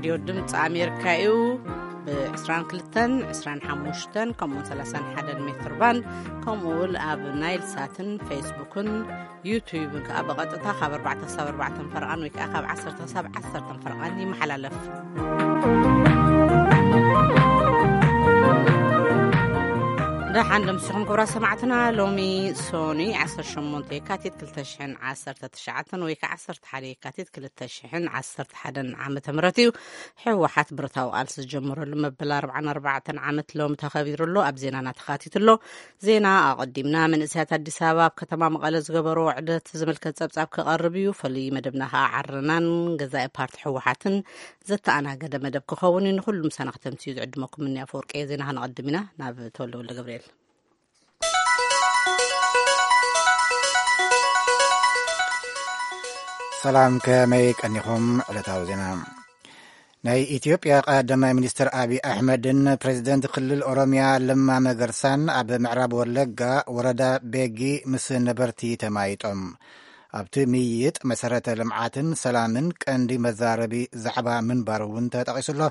ሬድዮ ድምፂ ኣሜሪካ እዩ። ብ22፣ 25 ከምኡውን 31 ሜትር ባንድ፣ ከምኡ እውን ኣብ ናይል ሳትን ፌስቡክን ዩቱብን ከዓ ብቐጥታ ካብ ኣርባዕተ ክሳብ ኣርባዕተ ፈርቓን ወይ ከዓ ካብ ዓሰርተ ክሳብ ዓሰርተ ፈርቓን ይመሓላለፍ። ደሓን ደምሲኹም ክብራ ሰማዕትና። ሎሚ ሶኒ 18 የካቲት 2019 ወይ ከዓ 11 የካቲት 2011 ዓመተ ምህረት እዩ። ህወሓት ብረታዊ ቃልሲ ዝጀመረሉ መበል ኣርባዓን ኣርባዕተን ዓመት ሎም ተኸቢሩ ኣሎ። ኣብ ዜናና ተኻቲቱ ኣሎ። ዜና ኣቐዲምና። መንእሰያት ኣዲስ ኣበባ ኣብ ከተማ መቐለ ዝገበርዎ ዕደት ዝምልከት ጸብጻብ ክቐርብ እዩ። ፍሉይ መደብና ከዓ ዓረናን ገዛኢ ፓርቲ ህወሓትን ዘተኣናገደ መደብ ክኸውን እዩ። ንኹሉ ምሳና ክተምስዩ ዝዕድመኩም እኒ ኣፈወርቂ እየ። ዜና ከነቐድም ኢና። ናብ ተወልደ ወልደ ገብርኤል። ሰላም፣ ከመይ ቀኒኹም? ዕለታዊ ዜና። ናይ ኢትዮጵያ ቀዳማይ ሚኒስትር ኣብይ ኣሕመድን ፕሬዚደንት ክልል ኦሮሚያ ለማ መገርሳን ኣብ ምዕራብ ወለጋ ወረዳ ቤጊ ምስ ነበርቲ ተማይጦም። ኣብቲ ምይይጥ መሰረተ ልምዓትን ሰላምን ቀንዲ መዛረቢ ዛዕባ ምንባሩ እውን ተጠቒሱ ኣሎ።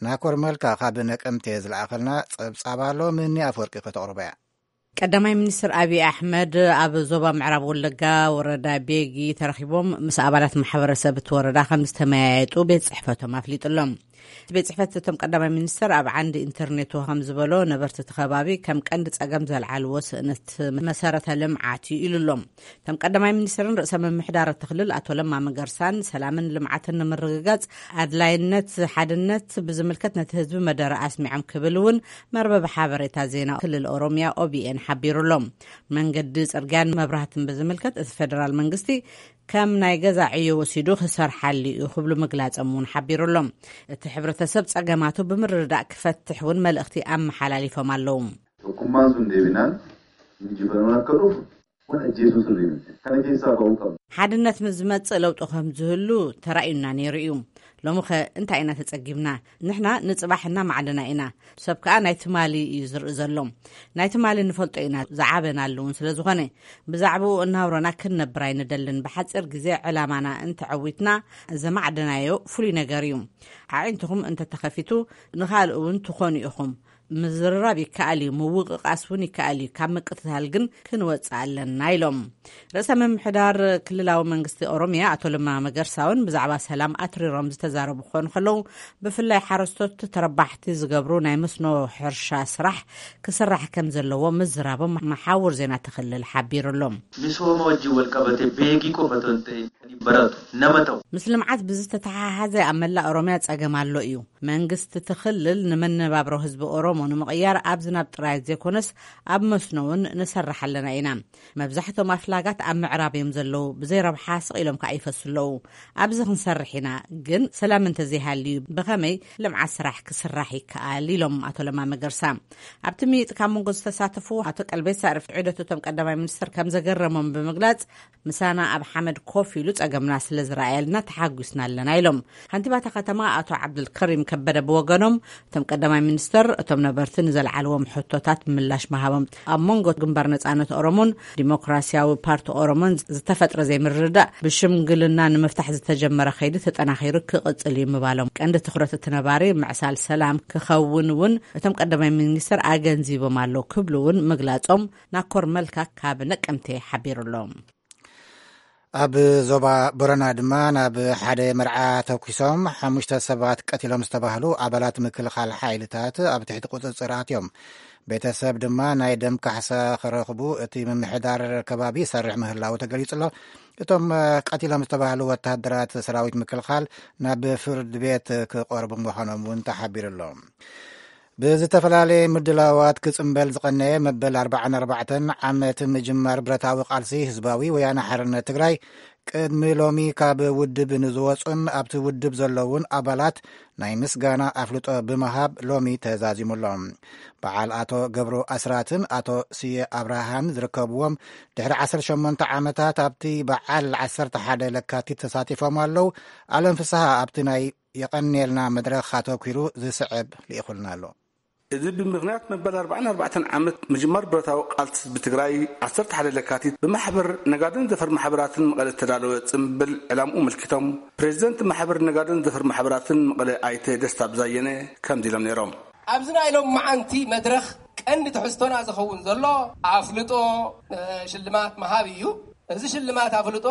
ናኮር መልካ ካብ ነቀምቴ ዝለኣኸልና ጸብጻብ ኣሎ። ምኒ ኣፈወርቂ ከተቕርቦ እያ። ቀዳማይ ሚኒስትር ኣብይ ኣሕመድ ኣብ ዞባ ምዕራብ ወለጋ ወረዳ ቤጊ ተረኺቦም ምስ ኣባላት ማሕበረሰብ እቲ ወረዳ ከም ዝተመያየጡ ቤት ጽሕፈቶም ኣፍሊጡ ኣሎ። እቲ ቤት ጽሕፈት እቶም ቀዳማይ ሚኒስትር ኣብ ዓንዲ ኢንተርኔቱ ከም ዝበሎ፣ ነበርቲ እቲ ከባቢ ከም ቀንዲ ጸገም ዘልዓልዎ ስእነት መሰረተ ልምዓት እዩ ኢሉ ኣሎ። እቶም ቀዳማይ ሚኒስትርን ርእሰ ምምሕዳር እቲ ክልል ኣቶ ለማ መገርሳን ሰላምን ልምዓትን ንምርግጋጽ ኣድላይነት ሓድነት ብዝምልከት ነቲ ህዝቢ መደረ ኣስሚዖም ክብል እውን መርበብ ሓበሬታ ዜና ክልል ኦሮሚያ ኦቢኤን ሓቢሩ ኣሎ። መንገዲ፣ ጽርግያን መብራህትን ብዝምልከት እቲ ፌደራል መንግስቲ ከም ናይ ገዛ ዕዮ ወሲዱ ክሰርሓሉ እዩ ክብሉ ምግላጾም እውን ሓቢሩ ኣሎ። እቲ ሕብረተሰብ ጸገማቱ ብምርድዳእ ክፈትሕ እውን መልእኽቲ ኣመሓላሊፎም ኣለዉ። Tokkummaan sun deebinaan injifannoon akka dhufu kun ajjeesuutu deemte. Kana keessaa ba'uu qabna. ሓድነት ምስ ዝመጽእ ለውጢ ከም ዝህሉ ተራእዩና ነይሩ እዩ። ሎሚ ኸ እንታይ ኢና ተጸጊምና? ንሕና ንጽባሕ እናማዕደና ኢና። ሰብ ከኣ ናይ ትማሊ እዩ ዝርኢ ዘሎ። ናይ ትማሊ ንፈልጦ ኢና፣ ዝዓበናሉ እውን ስለ ዝኾነ፣ ብዛዕባኡ እናውረና ክንነብር ኣይንደልን። ብሓጺር ግዜ ዕላማና እንተዐዊትና፣ ዘማዕደናዮ ፍሉይ ነገር እዩ። ኣዒንትኹም እንተተኸፊቱ፣ ንኻልእ እውን ትኾኑ ኢኹም። ምዝርራብ ይከኣል እዩ፣ ምውቕቓስ እውን ይከኣል እዩ። ካብ ምቅትታል ግን ክንወጽእ ኣለና ኢሎም። ርእሰ ምምሕዳር ክልላዊ መንግስቲ ኦሮሚያ ኣቶ ለማ መገርሳ እውን ብዛዕባ ሰላም ኣትሪሮም ዝተዛረቡ ክኾኑ ከለዉ፣ ብፍላይ ሓረስቶት ተረባሕቲ ዝገብሩ ናይ መስኖ ሕርሻ ስራሕ ክስራሕ ከም ዘለዎ ምዝራቦም መሓውር ዜና እቲ ክልል ሓቢሩ ኣሎ። Misooma wajjin wal qabate beegii qofa otoo hin ta'in kan hin baratu nama ta'u. ምስ ልምዓት ብዝተተሓሓዘ ኣብ መላእ ኦሮሚያ ጸገም ኣሎ እዩ። መንግስቲ እቲ ክልል ንመነባብሮ ህዝቢ ኦሮሞ ንምቕያር ኣብ ዝናብ ጥራይ ዘይኮነስ ኣብ መስኖ እውን ንሰርሕ ኣለና ኢና። መብዛሕቶም ኣፍላጋት ኣብ ምዕራብ እዮም ዘለዉ፣ ብዘይ ረብሓ ስቕ ኢሎም ከኣ ይፈሱ ኣለዉ። ኣብዚ ክንሰርሕ ኢና፣ ግን ሰላም እንተዘይሃልዩ ብኸመይ ልምዓት ስራሕ ክስራሕ ይከኣል? ኢሎም ኣቶ ለማ መገርሳ። ኣብቲ ምይጥ ካብ መንጎ ዝተሳተፉ ኣቶ ቀልቤሳ ርፍዒ ዑደት እቶም ቀዳማይ ሚኒስትር ከም ዘገረሞም ብምግላጽ፣ ምሳና ኣብ ሓመድ ኮፍ ኢሉ ጸገምና ስለ ዝረኣየልና ተሓጒስና ኣለና ኢሎም። ከንቲባ እታ ከተማ ኣቶ ዓብዱልከሪም ከበደ ብወገኖም፣ እቶም ቀዳማይ ሚኒስትር እቶም ነበርቲ ንዘልዓልዎም ሕቶታት ምላሽ ምሃቦም፣ ኣብ መንጎ ግንባር ነጻነት ኦሮሞን ዲሞክራሲያዊ ፓርቲ ኦሮሞን ዝተፈጥረ ዘይምርድዳእ ብሽምግልና ንምፍታሕ ዝተጀመረ ከይዲ ተጠናኺሩ ክቕጽል እዩ ምባሎም፣ ቀንዲ ትኹረት እቲ ነባሪ ምዕሳል ሰላም ክኸውን እውን እቶም ቀዳማይ ሚኒስትር ኣገንዚቦም ኣለዉ ክብሉ እውን ምግላጾም ናኮር መልካ ካብ ነቀምቴ ሓቢሩ ኣሎ። ኣብ ዞባ ቦረና ድማ ናብ ሓደ መርዓ ተኩሶም ሓሙሽተ ሰባት ቀቲሎም ዝተባህሉ ኣባላት ምክልኻል ሓይልታት ኣብ ትሕቲ ቁጽጽር ኣትዮም። ቤተሰብ ድማ ናይ ደም ካሕሳ ክረኽቡ እቲ ምምሕዳር ከባቢ ይሰርሕ ምህላዉ ተገሊጹ ኣሎ። እቶም ቀቲሎም ዝተባህሉ ወታደራት ሰራዊት ምክልኻል ናብ ፍርድ ቤት ክቐርቡ ምዃኖም እውን ተሓቢሩ ኣሎ። ብዝተፈላለየ ምድላዋት ክጽንበል ዝቐነየ መበል ኣርባዓን ኣርባዕተን ዓመት ምጅማር ብረታዊ ቃልሲ ህዝባዊ ወያነ ሓርነት ትግራይ፣ ቅድሚ ሎሚ ካብ ውድብ ንዝወጹን ኣብቲ ውድብ ዘለዉን ኣባላት ናይ ምስጋና ኣፍልጦ ብምሃብ ሎሚ ተዛዚሙ ኣሎ። በዓል ኣቶ ገብሩ ኣስራትን ኣቶ ስየ ኣብርሃን ዝርከብዎም፣ ድሕሪ ዓሰርተ ሸሞንተ ዓመታት ኣብቲ በዓል ዓሰርተ ሓደ ለካቲት ተሳቲፎም ኣለዉ። ኣለም ፍስሃ ኣብቲ ናይ የቐንየልና መድረኽ ኣተኲሩ ዝስዕብ ልኢኹልና ኣሎ። እዚ ብምኽንያት መበል ኣርባዓን ኣርባዕተን ዓመት ምጅማር ብረታዊ ቃልሲ ህዝቢ ትግራይ፣ ዓሰርተ ሓደ ለካቲት ብማሕበር ነጋድን ዘፈር ማሕበራትን መቐለ እተዳለወ ጽምብል ዕላምኡ ኣመልኪቶም፣ ፕሬዚደንት ማሕበር ነጋድን ዘፈር ማሕበራትን መቐለ ኣይተ ደስታ ብዛየነ ከምዚ ኢሎም ነይሮም። ኣብዚ ናይ ሎም መዓንቲ መድረኽ ቀንዲ ትሕዝቶና ዝኸውን ዘሎ ኣፍልጦ፣ እ፣ ሽልማት ምሃብ እዩ። እዚ ሽልማት ኣፍልጦ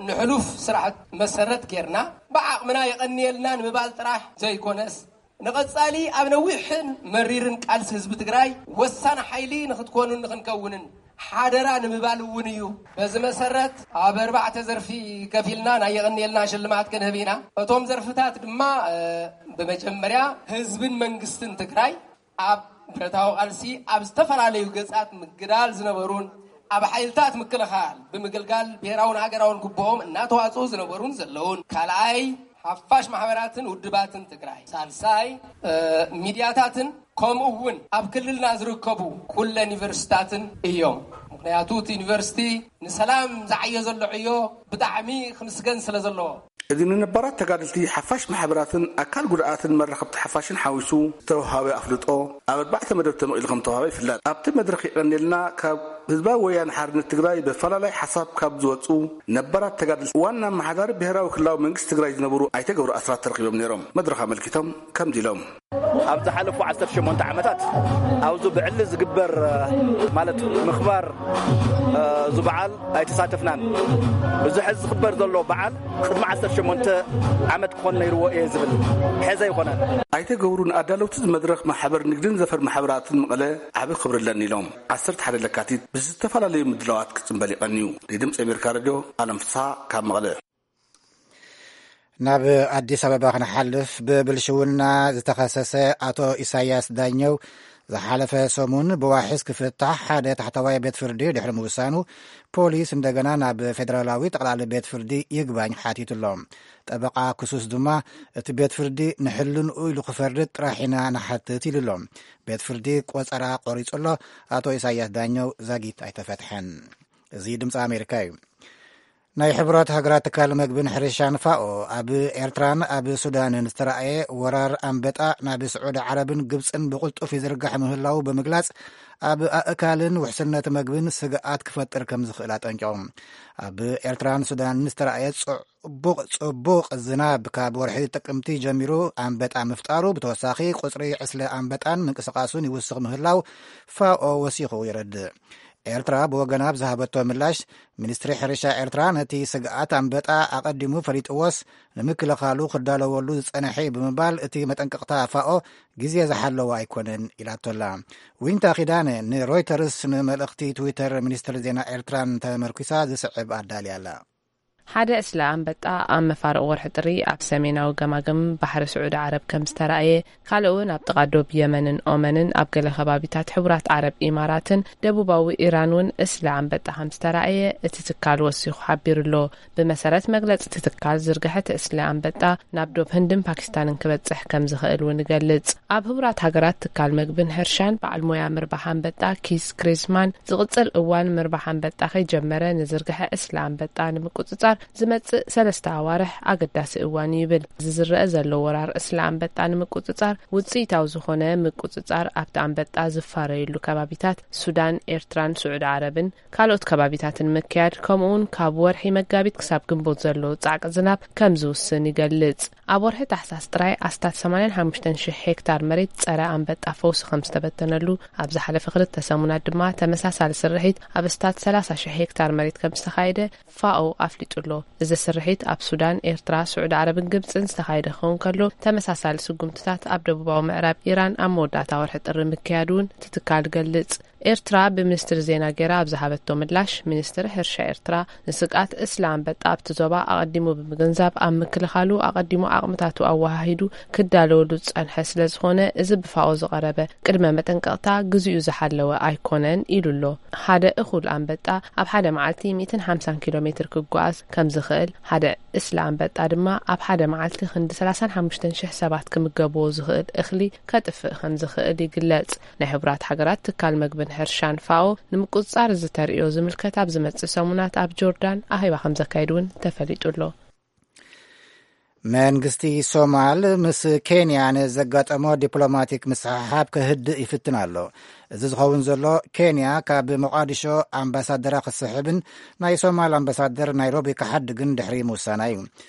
ንሕሉፍ ስራሕት መሰረት ጌርና ብዓቕምና የቐንየልና ንምባል ጥራሕ ዘይኮነስ፣ ንቐጻሊ ኣብ ነዊሕን መሪርን ቃልሲ ህዝቢ ትግራይ ወሳኒ ሓይሊ ንኽትኮኑን ንኽንከውንን ሓደራ ንምባል እውን እዩ። በዚ መሰረት ኣብ ኣርባዕተ ዘርፊ ከፊልና ናይ የቐንየልና ሽልማት ክንህብ ኢና። እቶም ዘርፍታት ድማ፣ እ፣ ብመጀመርያ ህዝብን መንግስትን ትግራይ ኣብ ብረታዊ ቃልሲ ኣብ ዝተፈላለዩ ገጻት ምግዳል ዝነበሩን ኣብ ሓይልታት ምክልኻል ብምግልጋል ብሔራውን ሃገራውን ግቡኦም እናተዋፅኡ ዝነበሩን ዘለውን፣ ካልኣይ ሓፋሽ ማሕበራትን ውድባትን ትግራይ፣ ሳልሳይ፣ እ፣ ሚድያታትን ከምኡ እውን ኣብ ክልልና ዝርከቡ ኩለን ዩኒቨርሲታትን እዮም። ምኽንያቱ እቲ ዩኒቨርሲቲ ንሰላም ዝዓዮ ዘሎ ዕዮ ብጣዕሚ ክምስገን ስለ ዘለዎ። እዚ ንነባራት ተጋደልቲ፣ ሓፋሽ ማሕበራትን ኣካል ጉድኣትን መራኸብቲ ሓፋሽን ሓዊሱ ዝተውሃበ ኣፍልጦ ኣብ ኣርባዕተ መደብ ተመቒሉ ከም ዝተውሃበ ይፍለጥ። ኣብቲ መድረኽ የቐንየልና ካብ ህዝባዊ ወያነ ሓርነት ትግራይ ብፈላላይ ሓሳብ ካብ ዝወፁ ነባራት ተጋደልቲ ዋና ኣመሓዳሪ ብሔራዊ ክልላዊ መንግስቲ ትግራይ ዝነበሩ ኣይተ ገብሩ ኣስራት ተረኺቦም ነይሮም። መድረኽ ኣመልኪቶም ከምዚ ኢሎም። ኣብ ዝሓለፉ ዓሰርተ ሸሞንተ ዓመታት ኣብዚ ብዕሊ ዝግበር፣ ማለት ምኽባር፣ እዚ በዓል ኣይተሳተፍናን። እዚ ሕዚ ዝኽበር ዘሎ በዓል ቅድሚ ዓሰርተ ሸሞንተ ዓመት ክኾን ነይርዎ እየ ዝብል፣ ሕዚ ኣይኮነን። ኣይተ ገብሩ ንኣዳለውቲ እዚ መድረኽ ማሕበር ንግድን ዘፈር ማሕበራትን መቐለ ዓቢ ክብሪ ኣለኒ ኢሎም። ዓሰርተ ሓደ ለካቲት ብዝተፈላለዩ ምድላዋት ክጽንበል ይቐንዩ። ንድምፂ ኣሜሪካ ሬድዮ ኣለም ፍስሓ ካብ መቐለ። ናብ ኣዲስ ኣበባ ክንሓልፍ፣ ብብልሽውና ዝተኸሰሰ ኣቶ ኢሳያስ ዳኘው ዝሓለፈ ሰሙን ብዋሕስ ክፍታሕ ሓደ ታሕተዋይ ቤት ፍርዲ ድሕሪ ምውሳኑ፣ ፖሊስ እንደገና ናብ ፌደራላዊ ጠቕላሊ ቤት ፍርዲ ይግባኝ ሓቲቱ ኣሎ። ጠበቓ ክሱስ ድማ፣ እቲ ቤት ፍርዲ ንሕልንኡ ኢሉ ክፈርድ ጥራሕ ኢና ንሓትት ኢሉ ኣሎ። ቤት ፍርዲ ቆጸራ ቆሪጹ ኣሎ። ኣቶ ኢሳያስ ዳኘው ዛጊት ኣይተፈትሐን። እዚ ድምፂ ኣሜሪካ እዩ። ናይ ሕቡራት ሃገራት ትካል መግብን ሕርሻን ፋኦ፣ ኣብ ኤርትራን ኣብ ሱዳንን ዝተራእየ ወራር ኣንበጣ ናብ ስዑዲ ዓረብን ግብጽን ብቕልጡፍ ይዝርጋሕ ምህላው ብምግላጽ፣ ኣብ ኣእካልን ውሕስነት መግብን ስግኣት ክፈጥር ከም ዝኽእል ኣጠንቂቑ። ኣብ ኤርትራን ሱዳንን ዝተራእየ ጽ-፣ ጽቡቕ፣ ጽቡቕ ዝናብ ካብ ወርሒ ጥቅምቲ ጀሚሩ ኣንበጣ ምፍጣሩ፣ ብተወሳኺ ቁጽሪ ዕስለ ኣንበጣን ምንቅስቓሱን ይውስኽ ምህላው ፋኦ ወሲኹ የረድእ። ኤርትራ ብወገና ኣብ ዝሃበቶ ምላሽ፣ ሚኒስትሪ ሕርሻ ኤርትራ ነቲ ስግኣት ኣንበጣ ኣቐዲሙ ፈሊጥዎስ ንምክልኻሉ ክዳለወሉ ዝጸንሐ እዩ ብምባል፣ እቲ መጠንቀቕታ ፋኦ ግዜ ዝሓለወ ኣይኮነን ኢላቶ ኣላ። ዊንታ ኪዳነ ንሮይተርስ ንመልእኽቲ ትዊተር ሚኒስትሪ ዜና ኤርትራን ተመርኲሳ ዝስዕብ ኣዳልያ ኣላ። ሓደ ዕስለ ኣንበጣ ኣብ መፋርቕ ወርሒ ጥሪ ኣብ ሰሜናዊ ገማግም ባሕሪ ስዑዲ ዓረብ ከም ዝተራእየ፣ ካልእ እውን ኣብ ጥቓ ዶብ የመንን ኦመንን ኣብ ገለ ከባቢታት ሕቡራት ዓረብ ኢማራትን ደቡባዊ ኢራን እውን ዕስለ ኣንበጣ ከም ዝተራእየ እቲ ትካል ወሲኹ ሓቢሩ ኣሎ። ብመሰረት መግለጺ እቲ ትካል፣ ዝርግሐ እቲ ዕስለ ኣንበጣ ናብ ዶብ ህንድን ፓኪስታንን ክበጽሕ ከም ዝኽእል እውን ይገልጽ። ኣብ ሕቡራት ሃገራት ትካል መግብን ሕርሻን በዓል ሞያ ምርባሕ ኣንበጣ ኪስ ክሪዝማን፣ ዝቕጽል እዋን ምርባሕ ኣንበጣ ከይጀመረ ንዝርግሐ ዕስለ ኣንበጣ ንምቁጽጻር ዝመጽእ ሰለስተ ኣዋርሕ ኣገዳሲ እዋን እዩ ይብል። እዚ ዝረአ ዘሎ ወራር ዕስለ ኣንበጣ ንምቁጽጻር ውጽኢታዊ ዝኾነ ምቁጽጻር ኣብቲ ኣንበጣ ዝፋረየሉ ከባቢታት ሱዳን፣ ኤርትራን ስዑዲ ዓረብን ካልኦት ከባቢታትን ምክያድ፣ ከምኡውን ካብ ወርሒ መጋቢት ክሳብ ግንቦት ዘሎ ጻዕቂ ዝናብ ከም ዝውስን ይገልጽ። ኣብ ወርሒ ታሕሳስ ጥራይ ኣስታት ሰማንያን ሓሙሽተን ሽሕ ሄክታር መሬት ጸረ ኣንበጣ ፈውሲ ከም ዝተበተነሉ፣ ኣብ ዝሓለፈ ክልተ ሰሙናት ድማ ተመሳሳሊ ስርሒት ኣብ ኣስታት ሰላሳ ሽሕ ሄክታር መሬት ከም ዝተኻየደ ፋኦ ኣፍሊጡ ኣሎ። እዚ ስርሒት ኣብ ሱዳን፣ ኤርትራ፣ ስዑዲ ዓረብን ግብጽን ዝተኻየደ ክኸውን ከሎ፣ ተመሳሳሊ ስጉምትታት ኣብ ደቡባዊ ምዕራብ ኢራን ኣብ መወዳእታ ወርሒ ጥሪ ምክያዱ እውን እቲ ትካል ገልጽ። ኤርትራ ብሚኒስትሪ ዜና ገይራ ኣብ ዝሃበቶ ምላሽ፣ ሚኒስትሪ ሕርሻ ኤርትራ ንስግኣት ዕስለ ኣንበጣ ኣብቲ ዞባ ኣቐዲሙ ብምግንዛብ፣ ኣብ ምክልኻሉ ኣቐዲሙ ዓቕምታቱ ኣወሃሂዱ ክዳለወሉ ዝጸንሐ ስለ ዝኾነ፣ እዚ ብፋኦ ዝቐረበ ቅድመ መጠንቀቕታ ግዜኡ ዝሓለወ ኣይኮነን ኢሉ ኣሎ። ሓደ እኹል ኣንበጣ ኣብ ሓደ መዓልቲ ሚእትን ሓምሳን ኪሎ ሜትር ክጓዓዝ ከም ዝኽእል፣ ሓደ ዕስለ ኣንበጣ ድማ ኣብ ሓደ መዓልቲ ክንዲ ሰላሳን ሓሙሽተን ሽሕ ሰባት ክምገብዎ ዝኽእል እኽሊ ከጥፍእ ከም ዝኽእል ይግለጽ። ናይ ሕቡራት ሃገራት ትካል መግብን ሕርሻን ፋኦ ንምቁጽጻር እዚ ተርእዮ ዝምልከት ኣብ ዝመጽእ ሰሙናት ኣብ ጆርዳን ኣኼባ ከም ዘካይድ እውን ተፈሊጡ ኣሎ። መንግስቲ ሶማል ምስ ኬንያ ንዘጋጠሞ ዲፕሎማቲክ ምስሕሓብ ከህድእ ይፍትን ኣሎ። እዚ ዝኸውን ዘሎ፣ ኬንያ ካብ ሞቓዲሾ ኣምባሳደራ ክትስሕብን ናይ ሶማል ኣምባሳደር ናይሮቢ ክሓድግን ድሕሪ ምውሳና እዩ።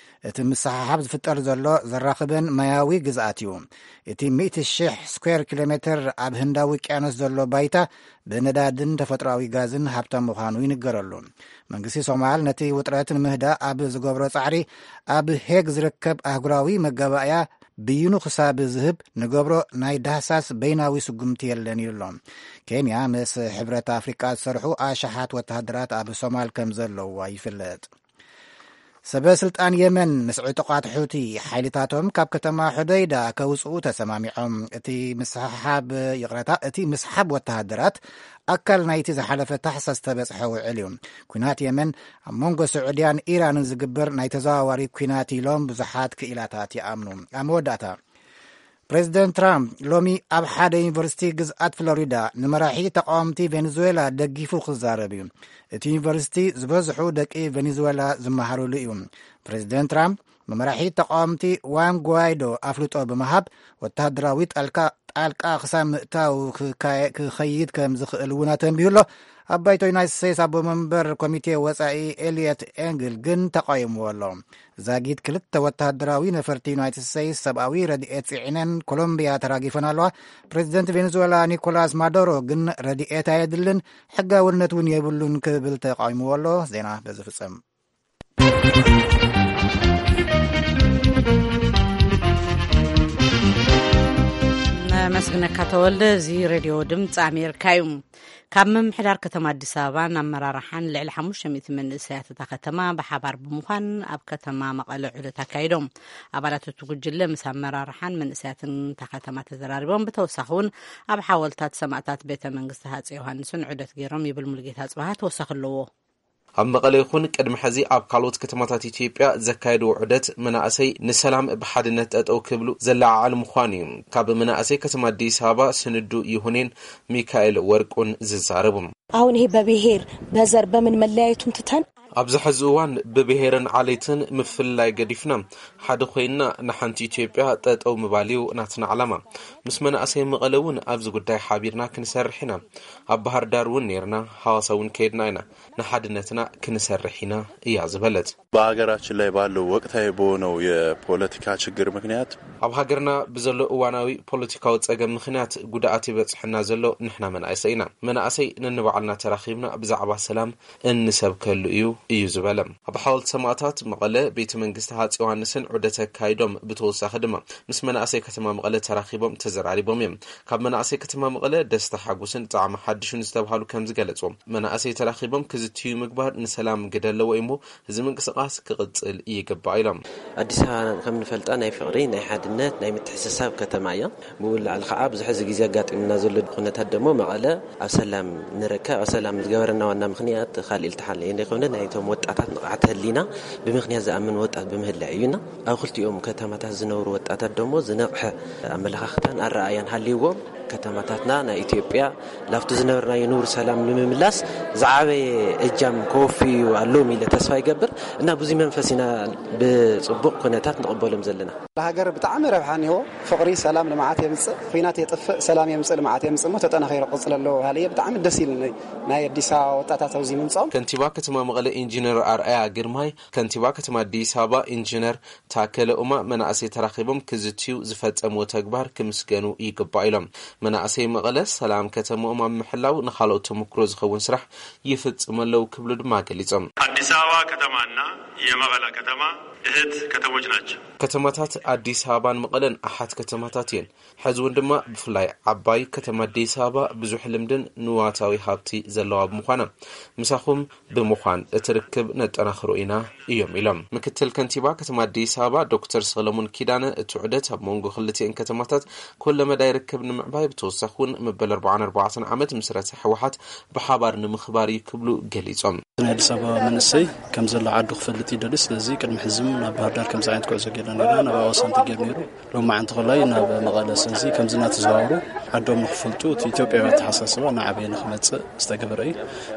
እቲ ምስሕሓብ ዝፍጠር ዘሎ ዘራኽበን ማያዊ ግዝኣት እዩ። እቲ ሚእቲ ሺሕ ስኩዌር ኪሎ ሜትር ኣብ ህንዳዊ ውቅያኖስ ዘሎ ባይታ ብነዳድን ተፈጥሮኣዊ ጋዝን ሃብታም ምዃኑ ይንገረሉ። መንግስቲ ሶማል ነቲ ውጥረት ንምህዳእ ኣብ ዝገብሮ ጻዕሪ፣ ኣብ ሄግ ዝርከብ ኣህጉራዊ መጋባእያ ብይኑ ክሳብ ዝህብ ንገብሮ ናይ ዳህሳስ በይናዊ ስጉምቲ የለን ኢሉ ኣሎ። ኬንያ ምስ ሕብረት ኣፍሪቃ ዝሰርሑ ኣሽሓት ወተሃደራት ኣብ ሶማል ከም ዘለዋ ይፍለጥ። ሰበ ስልጣን የመን ምስ ዕጡቓት ሑቲ ሓይልታቶም ካብ ከተማ ሑደይዳ ከውፅኡ ተሰማሚዖም። እቲ ምስሓብ፣ ይቕረታ፣ እቲ ምስሓብ ወተሃደራት ኣካል ናይቲ ዝሓለፈ ታሕሳስ ዝተበፅሐ ውዕል እዩ። ኩናት የመን ኣብ መንጎ ስዑድያን ኢራንን ዝግበር ናይ ተዘዋዋሪ ኩናት ኢሎም ብዙሓት ክኢላታት ይኣምኑ። ኣብ መወዳእታ፣ ፕሬዚደንት ትራምፕ ሎሚ ኣብ ሓደ ዩኒቨርሲቲ ግዝኣት ፍሎሪዳ ንመራሒ ተቃወምቲ ቬኔዙዌላ ደጊፉ ክዛረብ እዩ። እቲ ዩኒቨርሲቲ ዝበዝሑ ደቂ ቬኔዙዌላ ዝመሃሩሉ እዩ። ፕሬዚደንት ትራምፕ ንመራሒ ተቃወምቲ ዋን ጓይዶ ኣፍልጦ ብምሃብ፣ ወተሃደራዊ ጣልቃ፣ ጣልቃ ክሳብ ምእታው ክካየ-፣ ክኸይድ ከም ዝኽእል እውን ኣተንቢሁ ኣሎ። ኣብ ባይቶ ዩናይትድ ስቴትስ ኣቦ መንበር ኮሚቴ ወጻኢ ኤልየት ኤንግል ግን ተቃይምዎ ኣሎ። ዛጊት ክልተ ወተሃደራዊ ነፈርቲ ዩናይትድ ስቴትስ ሰብኣዊ ረድኤት ጽዒነን ኮሎምቢያ ተራጊፈን ኣለዋ። ፕሬዚደንት ቬኔዙዌላ ኒኮላስ ማዱሮ ግን ረድኤት ኣየድልን፣ ሕጋውነት እውን የብሉን ክብል ተቃይምዎ ኣሎ። ዜና በዚ ፍጸም። ነመስግነካ ተወልደ። እዚ ሬድዮ ድምፂ ኣሜሪካ እዩ። ካብ ምምሕዳር ከተማ ኣዲስ ኣበባን ኣመራርሓን ልዕሊ ሓሙሽተ ሚእቲ መንእሰያት እታ ከተማ ብሓባር ብምዃን ኣብ ከተማ መቐለ ዑደት ኣካይዶም። ኣባላት እቲ ጉጅለ ምስ ኣመራርሓን መንእሰያትን እታ ከተማ ተዘራሪቦም። ብተወሳኺ እውን ኣብ ሓወልታት ሰማእታት ቤተ መንግስቲ ሃፀይ ዮሃንስን ዑደት ገይሮም ይብል ሙሉጌታ ኣፅበሃ። ተወሳኺ ኣለዎ። ኣብ መቐለ ይኹን ቅድሚ ሕዚ ኣብ ካልኦት ከተማታት ኢትዮጵያ ዘካየድዎ ዑደት መናእሰይ ንሰላም ብሓድነት ጠጠው ክብሉ ዘለዓዓል ምዃኑ እዩ። ካብ መናእሰይ ከተማ ኣዲስ ኣበባ ስንዱ ይሁኔን ሚካኤል ወርቁን ዝዛረቡ። አሁን ይሄ በብሔር በዘር በምን መለያየቱን ትተን ኣብዚ ሕዚ እዋን ብብሔርን ዓሌትን ምፍልላይ ገዲፍና ሓደ ኮይንና ንሓንቲ ኢትዮጵያ ጠጠው ምባል እዩ ናትና ዓላማ። ምስ መናእሰይ መቐለ እውን ኣብዚ ጉዳይ ሓቢርና ክንሰርሕ ኢና። ኣብ ባህር ዳር እውን ነይርና፣ ሃዋሳ እውን ከይድና ኢና። ንሓድነትና ክንሰርሕ ኢና እያ ዝበለት። በሀገራችን ላይ ባለው ወቅታዊ በሆነው የፖለቲካ ችግር ምክንያት ኣብ ሃገርና ብዘሎ እዋናዊ ፖለቲካዊ ጸገም ምኽንያት ጉድኣት ይበጽሐና ዘሎ ንሕና መናእሰይ ኢና። መናእሰይ ነንባዕልና ተራኺብና ብዛዕባ ሰላም እንሰብከሉ እዩ እዩ ዝበለ። ኣብ ሓወልቲ ሰማእታት መቐለ ቤተ መንግስቲ ሃጽ ዮሃንስን ዑደት ኣካይዶም። ብተወሳኺ ድማ ምስ መናእሰይ ከተማ መቐለ ተራኺቦም ተዘራሪቦም እዮም። ካብ መናእሰይ ከተማ መቐለ ደስታ ሓጎስን ጣዕሚ ሓድሽን ዝተብሃሉ ከም ዝገለጹ፣ መናእሰይ ተራኺቦም ክዝትዩ ምግባር ንሰላም ግደ ኣለዎ እሞ እዚ ምንቅስቃስ ክቕጽል ይግባእ ኢሎም። ኣዲስ ኣበባ ከም ንፈልጣ ናይ ፍቕሪ፣ ናይ ሓድነት፣ ናይ ምትሕስሳብ ከተማ እያ። ብኡ ንላዕሊ ከዓ ብዙሕ እዚ ግዜ ኣጋጢምና ዘሎ ኩነታት ደሞ መቐለ ኣብ ሰላም ንርከብ፣ ኣብ ሰላም ዝገበረና ዋና ምኽንያት ካልእ ኢልትሓለ እንደ ኮነ ናይቶም ወጣታት ንቕሓት ህሊና ብምኽንያት ዝኣምን ወጣት ብምህላዩ እዩና። ኣብ ክልቲኦም ከተማታት ዝነብሩ ወጣታት ደሞ ዝነቕሐ ኣመለኻኽታን ኣረኣያን ሃልይዎም ከተማታትና ናይ ኢትዮጵያ ላብቲ ዝነበርናዮ ንቡር ሰላም ንምምላስ ዝዓበየ እጃም ከወፍዩ ኣለዎም ኢለ ተስፋ ይገብር እና ብዙ መንፈስ ኢና ብፅቡቕ ኩነታት ንቕበሎም ዘለና። ለሃገር ብጣዕሚ ረብሓ እኒሆ። ፍቕሪ ሰላም ልምዓት የምፅእ፣ ኹናት የጥፍእ ሰላም የምፅእ ልምዓት የምፅእ እሞ ተጠናኺሩ ክቕፅል ኣለዎ በሃሊ እየ። ብጣዕሚ ደስ ኢሉኒ ናይ ኣዲስ ኣበባ ወጣታት ኣብዚ ምምፅኦም። ከንቲባ ከተማ መቐለ ኢንጂነር ኣርኣያ ግርማይ፣ ከንቲባ ከተማ ኣዲስ ኣበባ ኢንጂነር ታከለ ኡማ መናእሰይ ተራኺቦም ክዝትዩ ዝፈጸምዎ ተግባር ክምስገኑ ይግባእ ኢሎም። መናእሰይ መቐለ ሰላም ከተምኦም ኣብ ምሕላው ንኻልኦት ተመክሮ ዝኸውን ስራሕ ይፍጽሙ ኣለዉ ክብሉ ድማ ገሊጾም። አዲስ አበባ ከተማና የመቐለ ከተማ እህት ከተሞች ናቸው። ከተማታት ኣዲስ ኣበባን መቐለን ኣሓት ከተማታት እየን። ሕዚ እውን ድማ ብፍላይ ዓባይ ከተማ ኣዲስ ኣበባ ብዙሕ ልምድን ንዋታዊ ሃብቲ ዘለዋ ብምዃና ምሳኹም ብምዃን እቲ ርክብ ነጠናኽሮ ኢና እዮም ኢሎም። ምክትል ከንቲባ ከተማ ኣዲስ ኣበባ ዶክተር ሰለሙን ኪዳነ እቲ ዑደት ኣብ መንጎ ክልቲኤን ከተማታት ኩለመዳይ ርክብ ንምዕባይ ብተወሳኺ እውን መበል ኣርባዓን ኣርባዕተን ዓመት ምስረታ ህወሓት ብሓባር ንምኽባር እዩ ክብሉ ገሊፆም። ናይ ኣዲስ ኣበባ መንእሰይ ከም ዘሎ ዓዱ ክፈልጥ ይደሊ። ስለዚ ቅድሚ ሕዝም ናብ ባህር ዳር ከምዚ ዓይነት ጉዕዞ ጌርና ነርና፣ ናብ ኣዋሳ እንተጌር ነይሩ፣ ሎማዓንቲ ኮላይ ናብ መቐለ። ስለዚ ከምዚ እናተዘዋወሩ ዓዶም ንኽፈልጡ እቲ ኢትዮጵያዊ ኣተሓሳስባ ንዓበየ ንኽመጽእ ዝተገበረ እዩ።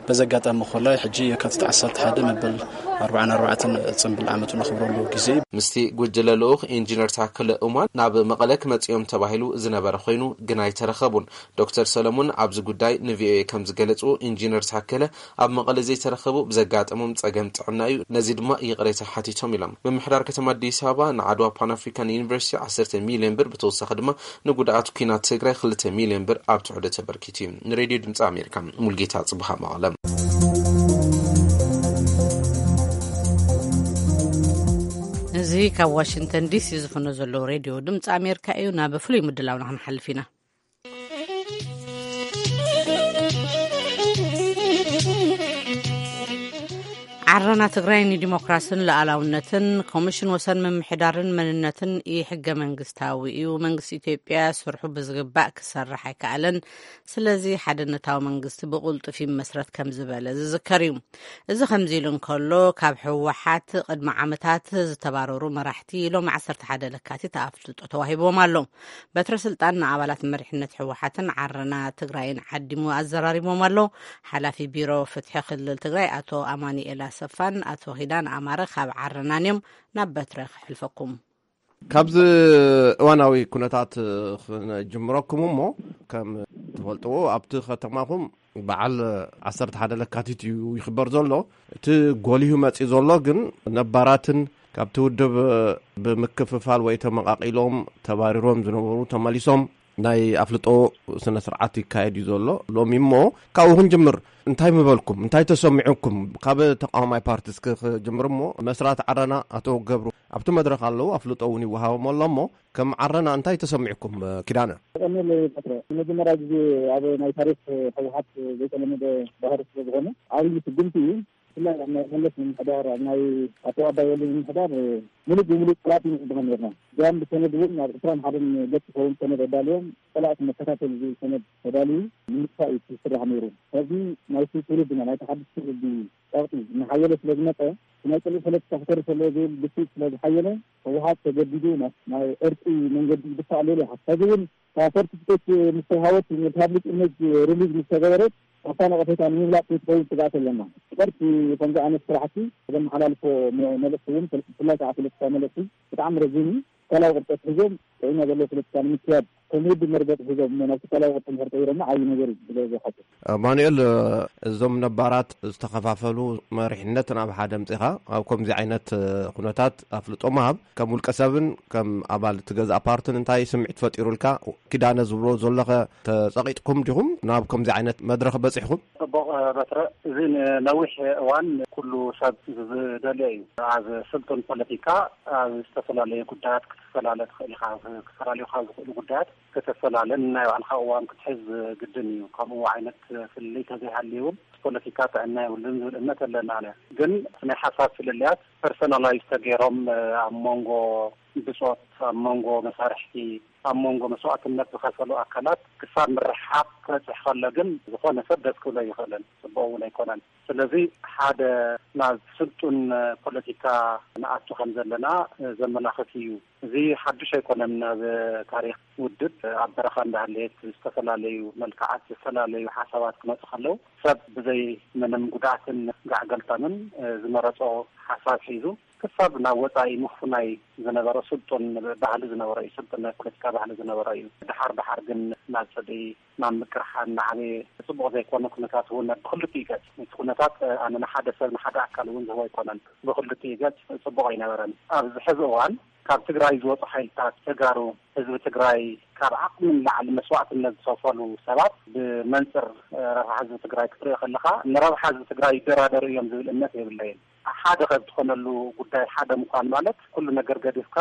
በዚ ኣጋጣሚ ኮላይ ሕጂ የካቲት ዓሰርተ ሓደ መበል ኣርባዓን ኣርባዕተን ጽንብል ዓመቱ ነኽብረሉ ግዜ እዩ። ምስቲ ጉጅለ ልኡኽ ኢንጂነር ታከለ ኡማን ናብ መቐለ ክመጽእ እዮም ተባሂሉ ዝነበረ ኮይኑ ግን ኣይተረኸቡን። ዶክተር ሰለሙን ኣብዚ ጉዳይ ንቪኦኤ ከም ዝገለጹ፣ ኢንጂነር ታከለ ኣብ መቐለ ዘይተረኸቡ ብዘጋጠሞም ጸገም ጥዕና እዩ። ነዚ ድማ ይቕሬታ ሓቲቶም ኢሎም። ምምሕዳር ከተማ ኣዲስ ኣበባ ንዓድዋ ፓን ኣፍሪካን ዩኒቨርሲቲ ዓሰርተ ሚልዮን ብር፣ ብተወሳኺ ድማ ንጉድኣት ኲናት ትግራይ ክልተ ሚልዮን ብር ኣብ ትሕዶ ተበርኪቱ እዩ። ንሬድዮ ድምፂ ኣሜሪካ ሙልጌታ ጽቡሃ መቐለ። እዚ ካብ ዋሽንግተን ዲሲ ዝፍኖ ዘሎ ሬድዮ ድምፂ ኣሜሪካ እዩ። ናብ ፍሉይ ምድላውና ክንሓልፍ ኢና። ዓረና ትግራይ ንዲሞክራስን ሉዓላውነትን፣ ኮሚሽን ወሰን ምምሕዳርን መንነትን ኢ-ሕገ መንግስታዊ እዩ። መንግስቲ ኢትዮጵያ ስርሑ ብዝግባእ ክሰርሕ ኣይከኣለን። ስለዚ ሓድነታዊ መንግስቲ ብቕልጡፍ ይመስረት ከም ዝበለ ዝዝከር እዩ። እዚ ከምዚ ኢሉ እንከሎ፣ ካብ ህወሓት ቅድሚ ዓመታት ዝተባረሩ መራሕቲ ሎም ዓሰርተ ሓደ ለካቲት ኣፍልጦ ተዋሂብዎም ኣሎ። በትረ ስልጣን ንኣባላት መሪሕነት ህወሓትን ዓረና ትግራይን ዓዲሙ ኣዘራሪቦም ኣሎ። ሓላፊ ቢሮ ፍትሒ ክልል ትግራይ ኣቶ ኣማኑኤል ኣሰፋን ኣቶ ኪዳነ ኣማረ ካብ ዓረናን እዮም። ናብ በትረ ክሕልፈኩም። ካብዚ እዋናዊ ኩነታት ክነጅምረኩም እሞ፣ ከም ትፈልጥዎ ኣብቲ ከተማኹም በዓል ዓሰርተ ሓደ ለካቲት እዩ ይኽበር ዘሎ። እቲ ጎሊሁ መፂኡ ዘሎ ግን ነባራትን ካብቲ ውድብ ብምክፍፋል ወይ ተመቓቒሎም ተባሪሮም ዝነበሩ ተመሊሶም ናይ ኣፍልጦ ስነ ስርዓት ይካየድ እዩ ዘሎ። ሎሚ እሞ ካብኡ ክንጅምር፣ እንታይ ምበልኩም? እንታይ ተሰሚዑኩም? ካብ ተቃዋማይ ፓርቲ እስኪ ክጅምር እሞ፣ መስራት ዓረና ኣቶ ገብሩ ኣብቲ መድረኽ ኣለዉ፣ ኣፍልጦ እውን ይወሃቦም ኣሎ። እሞ ከም ዓረና እንታይ ተሰሚዑኩም? ኪዳነ። ቀኒል ፈጥረ፣ ንመጀመርያ ግዜ ኣብ ናይ ታሪክ ህወሓት ዘይተለመደ ባህሪ ስለ ዝኾነ፣ ዓብዪ ስጉምቲ እዩ። ብፍላይ ኣብ ናይ መለስ ምምሕዳር፣ ኣብ ናይ ኣቶ ኣባይ ወልዱ ምምሕዳር ምሉእ ብምሉእ ጸላእቲ ኢና ንብሎም ነርና። እዚኣም ብሰነድ እውን ኣብ ዕስራን ሓደን ገጽ ዝኸውን ሰነድ ኣዳልዮም፣ ጸላእቲ መከታተሊ ዝብል ሰነድ ተዳልዩ ንምጥፋእ እዩ ዝስራሕ ነይሩ። ሕዚ ናይቲ ትውልድና፣ ናይቲ ሓድሽ ትውልዲ ጸቕጢ እናሓየለ ስለ ዝመጸ፣ ናይ ጽልኢ ፖለቲካ ክተርፍ ኣለዎ ዝብል ግፊት ስለ ዝሓየለ፣ ህወሓት ተገዲዱ ናብ ናይ ዕርቂ መንገዲ ይድፋእ ኣሎ ኢለ ይሓስብ። ሕዚ እውን እታ ሰርቲፊኬት ምስ ተውሃበት፣ ፐብሊክ ኢሜጅ ሪሊዝ ምስ ተገበረት፣ ካብታ ነቐፌታ ንምምላጥ ከይትኸውን ስግኣት ኣለና። ጨርቂ ከምዚ ዓይነት ስራሕቲ ዘመሓላልፎ መ-፣ መልእኽቲ እውን፣ ብፍላይ ከዓ ፖለቲካዊ መልእኽቲ ብጣዕሚ ረዚን እዩ። ትካላዊ ቅርፂ ኣትሒዞም ጥዕና ዘለዎ ፖለቲካ ንምክያድ ከም ውድብ መርገፂ ሒዞም እሞ ናብ ትካላዊ ቅርፂ እንድሕር ቀይሮሞ ዓብዪ ነገር እዩ ብለ ዝሓስብ። ኣማኑኤል፣ እዞም ነባራት ዝተኸፋፈሉ መሪሕነት ናብ ሓደ ኣምፂኻ ኣብ ከምዚ ዓይነት ኩነታት ኣፍልጦ ምሃብ ከም ውልቀ ሰብን ከም ኣባል እቲ ገዛእ ፓርትን እንታይ ስምዒት ፈጢሩልካ? ኪዳነ ዝብሎ ዘለኸ ተጸቒጥኩም ዲኹም ናብ ከምዚ ዓይነት መድረኽ በጺሕኩም? ጽቡቕ በትረ፣ እዚ ንነዊሕ እዋን ኩሉ ሰብ ዝደልዮ እዩ። ኣብ ስልጡን ፖለቲካ ኣብ ዝተፈላለዩ ጉዳያት ክትፈላለ ትኽእል ኢኻ። ክፈላለዩኻ ዝኽእሉ ጉዳያት ክትፈላለ ናይ ባዕልኻ እዋን ክትሕዝ ግድን እዩ። ከምኡ ዓይነት ፍልልይ ተዘይሃልዩ እውን ፖለቲካ ጥዕና የብሉን ዝብል እምነት ኣለና። ኣነ ግን ናይ ሓሳብ ፍልልያት ፐርሶናላይዝ ተገይሮም ኣብ መንጎ ብጾት፣ ኣብ መንጎ መሳርሕቲ፣ ኣብ መንጎ መስዋእትነት ዝኸፈሉ ኣካላት ክሳብ ምርሕሓቕ ክበጽሕ ከሎ ግን ዝኾነ ሰብ ደስ ክብሎ ኣይኽእልን፣ ጽቡቕ እውን ኣይኮነን። ስለዚ ሓደ ናብ ስልጡን ፖለቲካ ንኣቱ ከም ዘለና ዘመላኽት እዩ። እዚ ሓዱሽ ኣይኮነን። ኣብ ታሪኽ ውድብ ኣብ በረኻ እንዳሃለየት ዝተፈላለዩ መልክዓት፣ ዝተፈላለዩ ሓሳባት ክመጹ ከለዉ ሰብ ብዘይ ምንም ጉድኣትን ጋዕገልጠምን ዝመረጾ ሓሳብ ሒዙ ክሳብ ናብ ወጻኢ ምፍናይ ዝነበረ ስልጡን ባህሊ ዝነበረ እዩ። ስልጡን ናይ ፖለቲካ ባህሊ ዝነበረ እዩ። ደሓር ደሓር ግን ናብ ጽልኢ፣ ናብ ምቅርሓን እናዓበየ ጽቡቕ ዘይኮነ ኩነታት እውን ብክልቲኡ ገጽ፣ እቲ ኩነታት ኣነ ንሓደ ሰብ ንሓደ ኣካል እውን ዝህቦ ኣይኮነን። ብክልቲኡ ገጽ ጽቡቕ ኣይነበረን። ኣብዚ ሕዚ እዋን ካብ ትግራይ ዝወጹ ሓይልታት ተጋሩ፣ ህዝቢ ትግራይ ካብ ዓቕሚ ንላዕሊ መስዋእትነት ዝኸፈሉ ሰባት ብመንጽር ረብሓ ህዝቢ ትግራይ ክትሪኦ ከለኻ፣ ንረብሓ ህዝቢ ትግራይ ይደራደሩ እዮም ዝብል እምነት የብለይን። ሓደ ካብ ዝኾነሉ ጉዳይ ሓደ ምዃን ማለት ኩሉ ነገር ገዲፍካ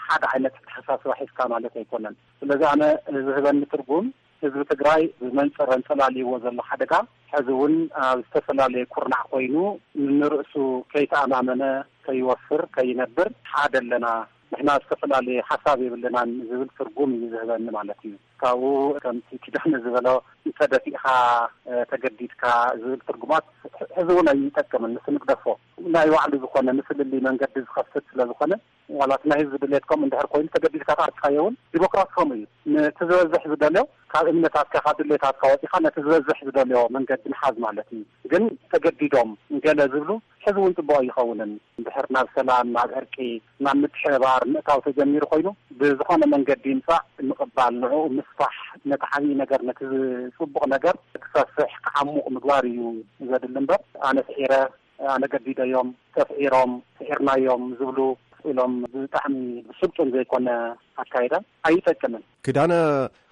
ሓደ ዓይነት ኣተሓሳስባ ሒዝካ ማለት ኣይኮነን። ስለዚ ኣነ ዝህበኒ ትርጉም ህዝቢ ትግራይ ብመንጽር ኣንጸላልይዎ ዘሎ ሓደጋ ሕዚ እውን ኣብ ዝተፈላለየ ኩርናዕ ኮይኑ ንርእሱ ከይተኣማመነ ከይወፍር ከይነብር ሓደ ኣለና፣ ንሕና ዝተፈላለየ ሓሳብ የብልናን ዝብል ትርጉም እዩ ዝህበኒ ማለት እዩ። ካብኡ ከምቲ ኪዳነ ዝበሎ ተደፊእኻ፣ እ፣ ተገዲድካ ዝብል ትርጉማት ሕ-፣ ሕዚ እውን ኣይጠቅምን። ንሱ ንግደፎ። ናይ ባዕሉ ዝኾነ ንፍልልይ መንገዲ ዝኸፍት ስለ ዝኾነ ዋላ እቲ ናይ ህዝቢ ድሌት ከምኡ እንድሕር ኮይኑ ተገዲድካ ተኣርካዮ እውን ዲሞክራሲ ከምኡ እዩ። ነቲ ዝበዝሕ ዝደልዮ ካብ እምነታትካ ካብ ድሌታትካ ወፂኻ ነቲ ዝበዝሕ ዝደልዮ መንገዲ ምሓዝ ማለት እዩ። ግን ተገዲዶም ገለ ዝብሉ ሕዚ እውን ፅቡቅ ኣይኸውንን። እንድሕር ናብ ሰላም ናብ ዕርቂ ናብ ምትሕብባር ምእታው ተጀሚሩ ኮይኑ ብዝኾነ መንገዲ ይምፃእ ምቕባል ንዕኡ ምስፋሕ ነቲ ዓብዪ ነገር ነቲ ፅቡቕ ነገር ክሰፍሕ ክዓሙቕ ምግባር እዩ ዘድሊ እምበር ኣነ ስዒረ ኣነ ገዲደዮም ተስዒሮም ስዒርናዮም ዝብሉ ኢሎም ብጣዕሚ ብስልጡን ዘይኮነ ኣካይዳ ኣይጠቅምን። ኪዳነ፣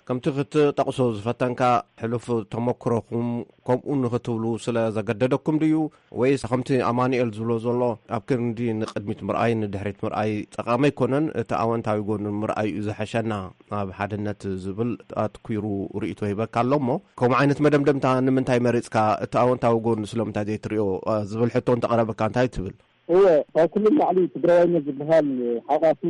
ከምቲ ክትጠቕሶ ዝፈተንካ ሕሉፍ ተመክሮኹም ከምኡ ንኽትብሉ ስለ ዘገደደኩም ድዩ? ወይስ ከምቲ ኣማኑኤል ዝብሎ ዘሎ ኣብ ክንዲ ንቕድሚት ምርኣይ ንድሕሪት ምርኣይ ጠቓሚ ኣይኮነን፣ እቲ ኣወንታዊ ጎኑ ምርኣይ እዩ ዝሐሸና፣ ኣብ ሓድነት ዝብል ኣትኲሩ ርእይቶ ሂበካ ኣሎ እሞ ከምኡ ዓይነት መደምደምታ ንምንታይ መሪጽካ? እቲ ኣወንታዊ ጎኑ ስለምንታይ ዘይትሪኦ ዝብል ሕቶ እንተቐረበካ እንታይ ትብል? እወ፣ ካብ ኩሉ ንላዕሊ ትግራዋይነት ዝበሃል ሓቋፊ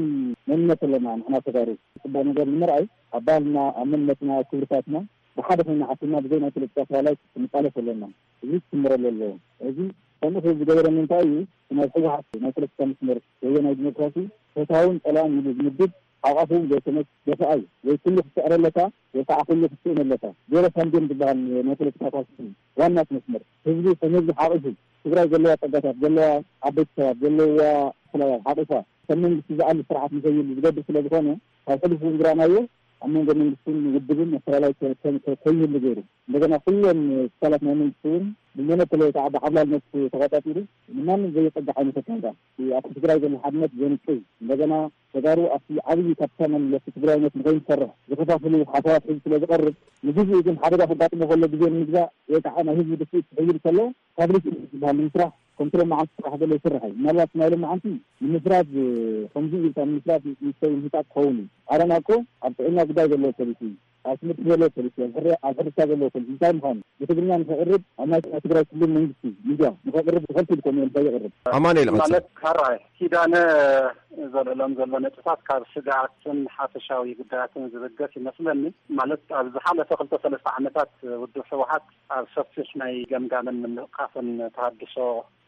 መንነት ኣለና ንሕና ተጋሩ። ፅቡቕ ነገር ንምርኣይ ኣብ ባህልና ኣብ መንነትና ኣብ ክብርታትና ብሓደ ኮይና ዓሲልና ብዘይ ናይ ፖለቲካ ኣፈላላይ ክንቃለስ ኣለና። እዚ ክስምረሉ ኣለዎ። እዚ ከምኡ ዝገበረኒ እንታይ እዩ? ናይ ህወሓት ናይ ፖለቲካ መስመር ወዮ ናይ ዲሞክራሲ ፈታውን ፀላእን ኢሉ ዝምድብ ሓቋፉ ዘይኮነስ ደፋኣይ ወይ ኩሉ ክስዕረለካ ወይ ከዓ ኩሉ ክትስእነለካ። ዜሮ ሳም ጌም ዝበሃል ናይ ፖለቲካ ፓርቲ ዋና መስመር ህዝቢ ከም ህዝቢ ሓቂፉ ትግራይ ዘለዋ ፀጋታት ዘለዋ ዓበይቲ ሰባት ዘለዋ ፍላያት ሓቂፋ ከም መንግስቲ ዝኣሊ ስርዓት ንኸይህሉ ዝገብር ስለዝኾነ ካብ ሕሉፍ እውን ዝረኣናዮ ኣብ መንጎ መንግስትን ውድብን ኣፈላላይ ከይህሉ ገይሩ። እንደገና ኩሎም ክፋላት ናይ መንግስቲ እውን ብሞኖፖል ወይ ከዓ ብዓብላልነት ተቆፃፂሩ ንማንም ዘየፀግዕ ዓይነት ኣካይዳ ኣብቲ ትግራይ ዘሎ ሓድነት ዘንቅዝ እንደገና ተጋሩ ኣብቲ ዓብዪ ካፒታል ናይ መለስቲ ትግራይነት ንኸይንሰርሕ ዝኸፋፍሉ ሓሳባት ሒዙ ስለ ዝቐርብ ንግዜኡ ግን ሓደጋ ከጋጥሞ ከሎ ግዜ ንምግዛእ ወይ ከዓ ናይ ህዝቢ ድፍኢት ክሕይል ከሎ ፋብሪክ ዝበሃል ንምስራሕ ከምቲ ሎም መዓልቲ ስራሕ ዘሎ ይስራሕ እዩ። ምናልባት ናይ ሎም መዓልቲ ንምፍራድ ከምዚ ኢልካ ንምፍራድ ይስተይ ምህጣቅ ክኸውን እዩ። ኣረና እኮ ኣብ ጥዕና ጉዳይ ዘለዎ ፖሊሲ እዩ። ኣብ ትምህርቲ ዘለዎ ፖሊሲ፣ ኣብ ሕርሻ ዘለዎ ፖሊሲ እንታይ ምዃኑ ብትግርኛ ንክቕርብ ኣብ ናይ ትግራይ ክልል መንግስቲ ሚድያ ንክቕርብ ተኸልኪሉ ኮሚዮን እንታይ ይቕርብ? ኣማኑኤል ቀጽል። ማለት ካራይ ኪዳነ ዘልዕሎም ዘሎ ነጥብታት ካብ ስግኣትን ሓፈሻዊ ጉዳያትን ዝብገስ ይመስለኒ። ማለት ኣብ ዝሓለፈ ክልተ ሰለስተ ዓመታት ውድብ ህወሓት ኣብ ሰፊሕ ናይ ገምጋምን ምንቕቃፍን ተሃድሶ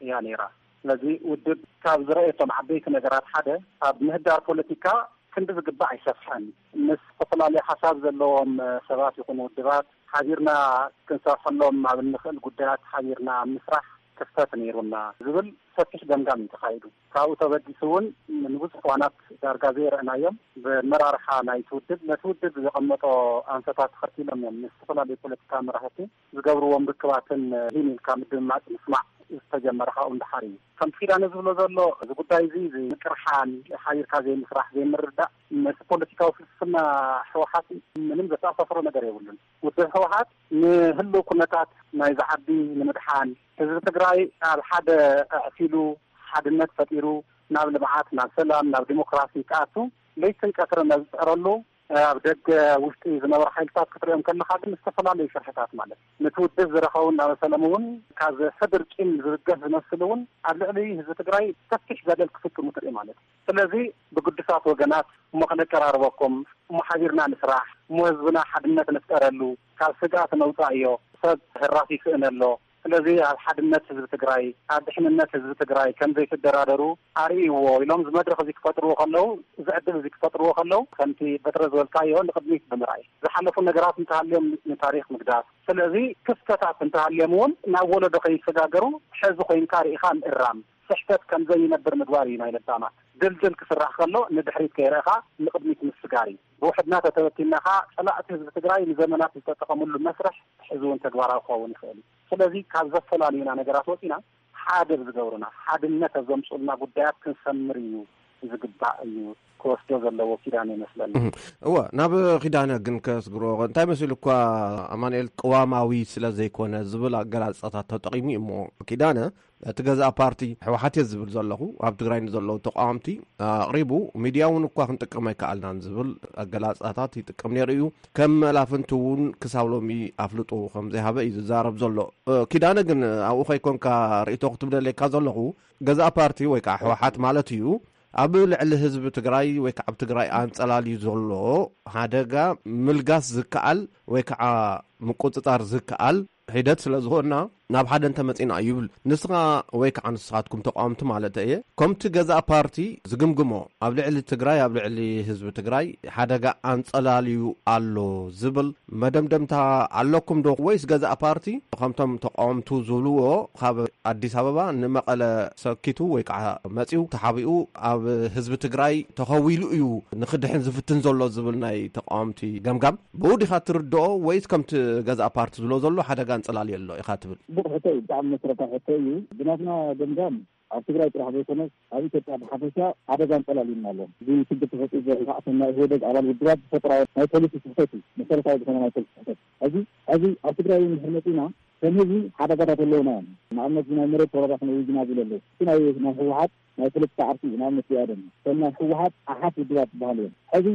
እያ ነይራ። ስለዚ ውድብ ካብ ዝረኣየቶም ዓበይቲ ነገራት ሓደ ኣብ ምህዳር ፖለቲካ ክንዲ ዝግባእ ኣይሰፍሐን። ምስ ዝተፈላለዩ ሓሳብ ዘለዎም ሰባት ይኹኑ ውድባት ሓቢርና ክንሰርሐሎም ኣብ እንኽእል ጉዳያት ሓቢርና ኣብ ምስራሕ ክፍተት ነይሩና ዝብል ሰፊሕ ገምጋም እዩ ተኻይዱ። ካብኡ ተበጊሱ እውን ንብዙሕ እዋናት ዳርጋ ዘይረእናዮም ብመራርሓ ናይቲ ውድብ ነቲ ውድብ ዘቐመጦ ኣንፈታት ተኸቲሎም እዮም ምስ ዝተፈላለዩ ፖለቲካ መራሕቲ ዝገብርዎም ርክባትን ሂን ኢልካ ምድምማፅ ምስማዕ ዝተጀመረ ካብኡ ንደሓር እዩ። ከምቲ ኪዳነ ዝብሎ ዘሎ እዚ ጉዳይ እዚ ምቅርሓን ሓቢርካ ዘይምስራሕ ዘይምርዳእ ምስ ፖለቲካዊ ፍልስፍና ህወሓት ምንም ዘተኣሳስሮ ነገር የብሉን። ውድብ ህወሓት ንህልው ኩነታት ናይዚ ዓዲ ንምድሓን ህዝቢ ትግራይ ኣብ ሓደ ኣዕሲሉ ሓድነት ፈጢሩ ናብ ልምዓት ናብ ሰላም ናብ ዲሞክራሲ ክኣቱ ለይትን ቀትርን ኣብ ዝፅዕረሉ ኣብ ደገ ውሽጢ ዝነበሩ ሓይልታት ክትሪኦም ከለኻ ግን ዝተፈላለዩ ሽርሕታት ማለት ነቲ ውድብ ዝረኸቡ እናመሰሎም እውን ካብ ሕድር ቂም ዝብገስ ዝመስል እውን ኣብ ልዕሊ ህዝቢ ትግራይ ሰፊሕ በደል ክፍፅሙ ትርኢ ማለት እዩ። ስለዚ ብግዱሳት ወገናት እሞ ከነቀራርበኩም እሞ ሓቢርና ንስራሕ እሞ ህዝብና ሓድነት ንፍጠረሉ ካብ ስግኣት ነውፃእዮ ሰብ ህራፍ ይስእን ኣሎ ስለዚ ኣብ ሓድነት ህዝቢ ትግራይ ኣብ ድሕንነት ህዝቢ ትግራይ ከም ዘይትደራደሩ ኣርእይዎ ኢሎም እዚ መድረኽ እዚ ክፈጥርዎ ከለዉ እዚ ዕድል እዚ ክፈጥርዎ ከለዉ ከምቲ በትረ ዝበልካዮ ንቕድሚት ብምርኣይ ዝሓለፉ ነገራት እንተሃልዮም ንታሪኽ ምግዳፍ ስለዚ ክፍተታት እንተሃልዮም እውን ናብ ወለዶ ከይሰጋገሩ ሕዚ ኮይንካ ርኢኻ ምእራም ስሕተት ከም ዘይነብር ምግባር እዩ ናይ ለባማት ድልድል ክስራሕ ከሎ ንድሕሪት ከይረእኻ ንቕድሚት ምስጋር እዩ ብውሕድና ተተበቲና ኸዓ ፀላእቲ ህዝቢ ትግራይ ንዘመናት ዝተጠቐምሉ መስርሕ ሕዚ እውን ተግባራዊ ክኸውን ይኽእል እዩ ስለዚ ካብ ዘፈላልዩና ነገራት ወፂና ሓደ ብዝገብሩና ሓድነት ኣብ ዘምፅኡልና ጉዳያት ክንሰምር እዩ ዝግባእ እዩ ክወስዶ ዘለዎ ኪዳነ ይመስለኒ። እወ ናብ ኪዳነ ግን ከስግሮ እንታይ መሲሉ እኳ ኣማኑኤል ቅዋማዊ ስለ ዘይኮነ ዝብል ኣገላልፃታት ተጠቒሙ እዩ እሞ ኪዳነ እቲ ገዛእ ፓርቲ ህወሓት እየ ዝብል ዘለኹ ኣብ ትግራይ ንዘለዉ ተቃወምቲ ኣቕሪቡ ሚድያ እውን እኳ ክንጥቀም ኣይከኣልናን ዝብል ኣገላልፃታት ይጥቀም ነይሩ እዩ ከም መላፍንቲ እውን ክሳብ ሎሚ ኣፍልጦ ከም ዘይሃበ እዩ ዝዛረብ ዘሎ ኪዳነ ግን ኣብኡ ከይኮንካ ርእይቶ ክትብለለካ ዘለኹ ገዛእ ፓርቲ ወይ ከዓ ህወሓት ማለት እዩ ኣብ ልዕሊ ህዝቢ ትግራይ ወይ ከዓ ኣብ ትግራይ ኣንፀላልዩ ዘሎ ሓደጋ ምልጋስ ዝከኣል ወይ ከዓ ምቁፅፃር ዝከኣል ሒደት ስለ ዝኾንና ናብ ሓደ እንተመጺና እዩ ይብል። ንስኻ ወይ ከዓ ንስኻትኩም ተቃወምቲ ማለት እየ፣ ከምቲ ገዛእ ፓርቲ ዝግምግሞ ኣብ ልዕሊ ትግራይ፣ ኣብ ልዕሊ ህዝቢ ትግራይ ሓደጋ ኣንጸላልዩ ኣሎ ዝብል መደምደምታ ኣለኩም ዶ? ወይስ ገዛእ ፓርቲ ከምቶም ተቃወምቱ ዝብልዎ ካብ ኣዲስ ኣበባ ንመቐለ ሰኪቱ ወይ ከዓ መጺኡ ተሓቢኡ ኣብ ህዝቢ ትግራይ ተኸዊሉ እዩ ንክድሕን ዝፍትን ዘሎ ዝብል ናይ ተቃወምቲ ገምጋም ብኡ ዲኻ ትርድኦ? ወይስ ከምቲ ገዛእ ፓርቲ ዝብሎ ዘሎ ሓደጋ ኣንጸላልዩ ኣሎ ኢኻ ትብል? ጽቡቕ ሕቶ እዩ፣ ብጣዕሚ መሰረታዊ ሕቶ እዩ። ብናትና ገምጋም ኣብ ትግራይ ጥራሕ ዘይኮነስ ኣብ ኢትዮጵያ ብሓፈሻ ሓደጋ ኣንጸላልዩና ኣሎ። እዚ ሽግር ተፈጢሩ ዘሎ ከዓ ሰናይ ኢህወደግ ኣባል ውድባት ዝፈጥራዮ ናይ ፖሊሲ ስሕተት እዩ፣ መሰረታዊ ዝኾነ ናይ ፖሊሲ ስሕተት። ሕዚ፣ ሕዚ ኣብ ትግራይ እውን እንድሕር መጺና ከም ህዝቢ ሓደጋታት ኣለውና እዮም። ንኣብነት ናይ መሬት ወረራ ክንእውጅና ዝብሉ ኣለዉ። እቲ ናይ፣ ናይ ህወሓት ናይ ፖለቲካ ዓርኪ እዩ፣ ንኣብነት ብኣደም ከም ናይ ህወሓት ኣሓት ውድባት ዝበሃሉ እዮም። ሕዚ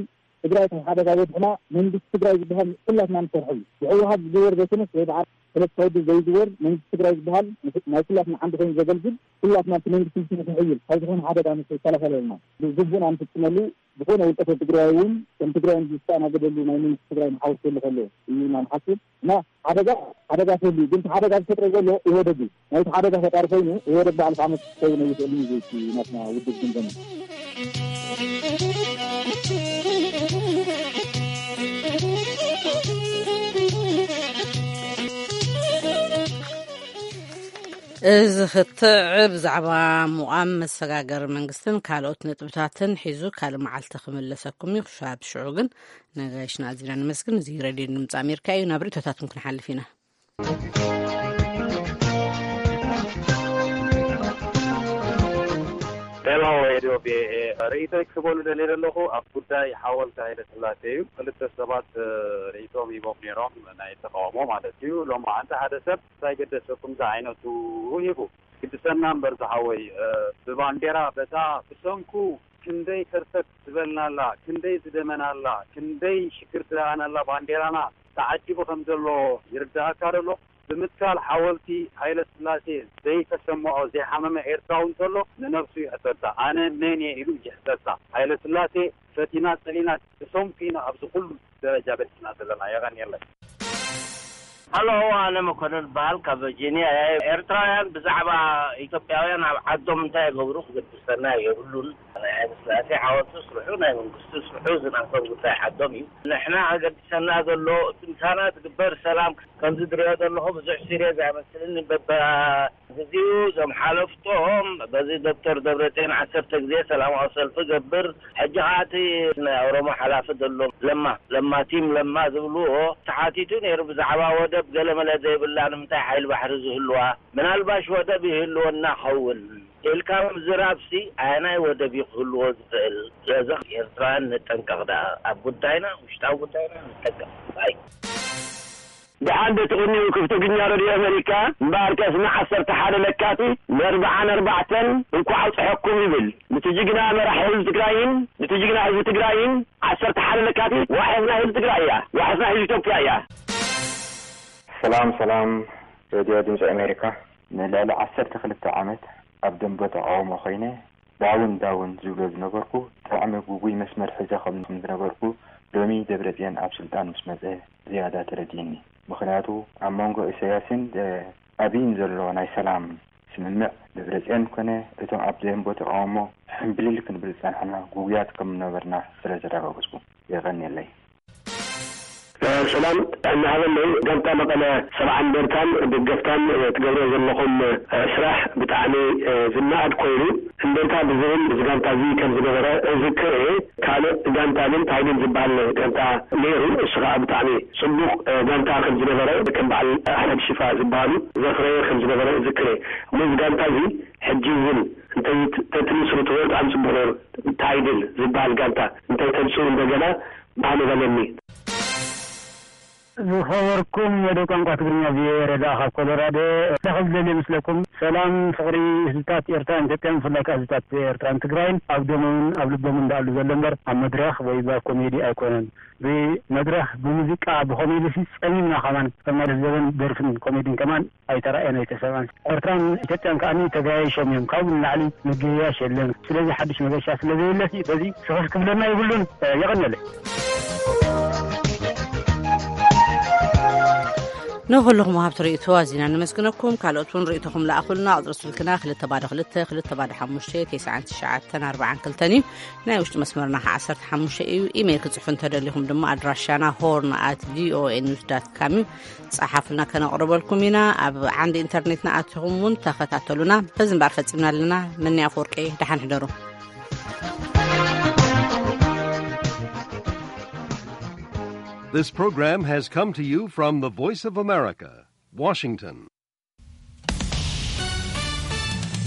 ትግራይ ካብ ሓደጋ በድሕና መንግስቲ ትግራይ ዝበሃል ኩላትና ንሰርሖ እዩ። ብህወሓት ዝዝወር ዘይኮነስ ወይ በዓል ፖለቲካ ውድብ ዘይዝወር መንግስቲ ትግራይ ዝበሃል ናይ ኩላትና ዓንዲ ኮይኑ ዘገልግል ኩላትና እቲ መንግስቲ ምስ ንሕይል ካብ ዝኾነ ሓደጋ ምስ ይከላኸለልና ብግቡእና ንፍፅመሉ ዝኾነ ውልቀ ሰብ ትግራይ እውን ከም ትግራይ ዝተኣናገደሉ ናይ መንግስቲ ትግራይ መሓውር ክህሉ ከሎ እዩ ኢና ንሓስብ እና ሓደጋ ሓደጋ ክህሉ እዩ። ግን እቲ ሓደጋ ዝፈጥሮ ዘሎ ኢህወደግ እዩ። ናይቲ ሓደጋ ፈጣሪ ኮይኑ ኢህወደግ ባዕሉ ከዓ መፍትሒ ክኸውን ኣይኽእልን እዩ። ዘይቲ ናትና ውድብ ግምገማ እዚ ክትዕ ብዛዕባ ምቋም መሰጋገሪ መንግስትን ካልኦት ነጥብታትን ሒዙ ካልእ መዓልቲ ክምለሰኩም እዩ። ክሻብ ሽዑ ግን ነጋይሽና ኣዚና ንመስግን። እዚ ሬድዮ ድምፂ ኣሜሪካ እዩ። ናብ ርእቶታትኩም ክንሓልፍ ኢና። ሄሎ ሬድዮ ቪኦኤ፣ ርእይቶይ ክህበሉ ደልየ ዘለኹ ኣብ ጉዳይ ሓወልቲ ሃይለ ስላሴ እዩ። ክልተ ሰባት ርእይቶም ሂቦም ነይሮም፣ ናይ ተቃውሞ ማለት እዩ። ሎማዓንቲ ሓደ ሰብ እንታይ ገደሰኩም ዝዓይነቱ ሂቡ። ግድሰና እምበር ዝሓወይ፣ ብባንዴራ በታ ብሰንኩ ክንደይ ከርተት ዝበልናላ፣ ክንደይ ዝደመናላ፣ ክንደይ ሽግር ዝረኣናላ ባንዴራና ተዓጂቡ ከም ዘሎ ይርድኣካ ደሎ? ብምትካል ሓወልቲ ሃይለስላሴ ዘይተሰምዖ ዘይሓመመ ኤርትራዊ እንተሎ ንነብሱ ይሕተታ። ኣነ መን እየ ኢሉ ይሕተታ። ሃይለስላሴ ፈቲና ጸሊና ብሰንኩ ኢና ኣብዚ ኩሉ ደረጃ በጺሕና ዘለና። የቐንየለይ። ሃሎ፣ ኣነ መኮንን በሃል ካብ ቨርጂኒያ እየ። ኤርትራውያን ብዛዕባ ኢትዮጵያውያን ኣብ ዓዶም እንታይ ይገብሩ ክገድሰና የብሉን። ናይ ሃይለስላሴ ሓወልቲ ስርሑ፣ ናይ መንግስቱ ስርሑ፣ እዚ ናቶም ጉዳይ ዓዶም እዩ። ንሕና ከገድሰና ዘሎ እቲ ምሳና ትግበር ሰላም። ከምዚ ትሪኦ ዘለኹ ብዙሕ ሲርየስ ኣይመስልን። በበ ግዚኡ እዞም ሓለፍቶም በዚ ዶክተር ደብረፅዮን ዓሰርተ ግዜ ሰላማዊ ሰልፊ ገብር፣ ሕጂ ከዓ እቲ ናይ ኦሮሞ ሓላፊ ዘሎ ለማ ለማ ቲም ለማ ዝብልዎ ተሓቲቱ ነይሩ ብዛዕባ ወደብ ገለመለ ዘይብላ ንምንታይ ሓይሊ ባሕሪ ዝህልዋ? ምናልባሽ ወደብ ይህልወና ኸውን ኢልካ ምዝራብሲ ኣየናይ ወደብ እዩ ክህልዎ ዝኽእል? ስለዚ ኤርትራውያን ንጠንቀቕ ደኣ፣ ኣብ ጉዳይና ውሽጣዊ ጉዳይና ንጠንቀቕ። ባይ ደሓን ዶ ትቕንዩ ክፍቲ ግኛ ረድዮ ኣመሪካ እምበኣርከስ ንዓሰርተ ሓደ ለካቲት ንኣርብዓን ኣርባዕተን እንኳዕ ኣብፀሐኩም ይብል ንቲ ጅግና መራሒ ህዝቢ ትግራይን ንቲ ጅግና ህዝቢ ትግራይን ዓሰርተ ሓደ ለካቲት ዋሕስ ናይ ህዝቢ ትግራይ እያ ዋሕስ ናይ ህዝቢ ኢትዮጵያ እያ። ሰላም ሰላም ረድዮ ድምፂ ኣሜሪካ ንልዕሊ ዓሰርተ ክልተ ዓመት ኣብ ደንበ ተቃውሞ ኮይነ ዳውን ዳውን ዝብሎ ዝነበርኩ ብጣዕሚ ጉጉይ መስመር ሒዘ ከም ዝነበርኩ ሎሚ ደብረፅዮን ኣብ ስልጣን ምስ መፀ ዝያዳ ተረዲእኒ። ምኽንያቱ ኣብ መንጎ ኢሳያስን ኣብይን ዘሎ ናይ ሰላም ስምምዕ ደብረፅዮን ኮነ እቶም ኣብ ደንበ ተቃውሞ ሕምብሊል ክንብል ዝፀናሕና ጉጉያት ከም ዝነበርና ስለ ዘረጋገፅኩ የቐንየለይ። ሰላም እናሃበለይ ጋንታ መቐለ ሰብዓ እንደርታን ደገፍታን ትገብርዎ ዘለኹም ስራሕ ብጣዕሚ ዝነኣድ ኮይኑ እንደርታ ብዝብል እዚ ጋንታ እዚ ከም ዝነበረ እዝክር እየ። ካልእ ጋንታ ግን ታይድን ዝበሃል ጋንታ ነይሩ። እሱ ከዓ ብጣዕሚ ፅቡቕ ጋንታ ከም ዝነበረ ከም በዓል ኣሕመድ ሽፋ ዝበሃሉ ዘፍረየ ከም ዝነበረ እዝክር እየ። እሞ እዚ ጋንታ እዚ ሕጂ እውን እንተተትምስርትዎ ብጣዕሚ ፅቡቕ ነይሩ። ታይድን ዝበሃል ጋንታ እንተተምፅኡ እንደገና ባህ ምበለኒ። ዝኸበርኩም መደብ ቋንቋ ትግርኛ ቪኦኤ ረዳ ካብ ኮሎራዶ እንታይ ከም ዝደልየ ምስለኩም ሰላም ፍቕሪ ህዝብታት ኤርትራን ኢትዮጵያን ብፍላይ ከኣ ህዝብታት ኤርትራን ትግራይን ኣብ ደሞምን ኣብ ልቦምን ደኣሉ ዘሎ እምበር ኣብ መድረኽ ወይ ብ ኮሜዲ ኣይኮነን። ብመድረኽ ብሙዚቃ ብኮሜዲ ሲ ጸሚምና ከማን ከም ናይ ዘበን ደርፍን ኮሜድን ከማን ኣይተራእየን ኣይተሰምዐን። ኤርትራን ኢትዮጵያን ከኣ ተጋያይሾም እዮም። ካብኡ ንላዕሊ ምግይያሽ የለን። ስለዚ ሓድሽ መገሻ ስለ ዘየለሲ በዚ ስኽፍ ክብለና ይብሉን። የቐንየለይ። ንኹልኹም ወሃብቲ ርእይቶ ኣዚና ነመስግነኩም። ካልኦት እውን ርእይቶኹም ለኣኹልና። ቁጽሪ ስልክና ክልተ ባዶ ክልተ፣ ክልተ ባዶ ሓሙሽተ፣ ተስዓን ትሽዓተን ኣርባዓን ክልተን እዩ። ናይ ውሽጢ መስመርና ከኣ ዓሰርተ ሓሙሽተ እዩ። ኢሜይል ክጽሕፉ እንተደሊኹም ድማ ኣድራሻና ሆርን ኣት ቪኦኤ ኒውስ ዳት ካም እዩ። ጸሓፉልና፣ ከነቕርበልኩም ኢና። ኣብ ዓንዲ ኢንተርኔትና ኣቲኹም እውን ተኸታተሉና። በዚ እምበኣር ፈጺምና ኣለና። መኒ ኣፈወርቂ፣ ደሓን ሕደሩ። This program has come to you from the Voice of America, Washington.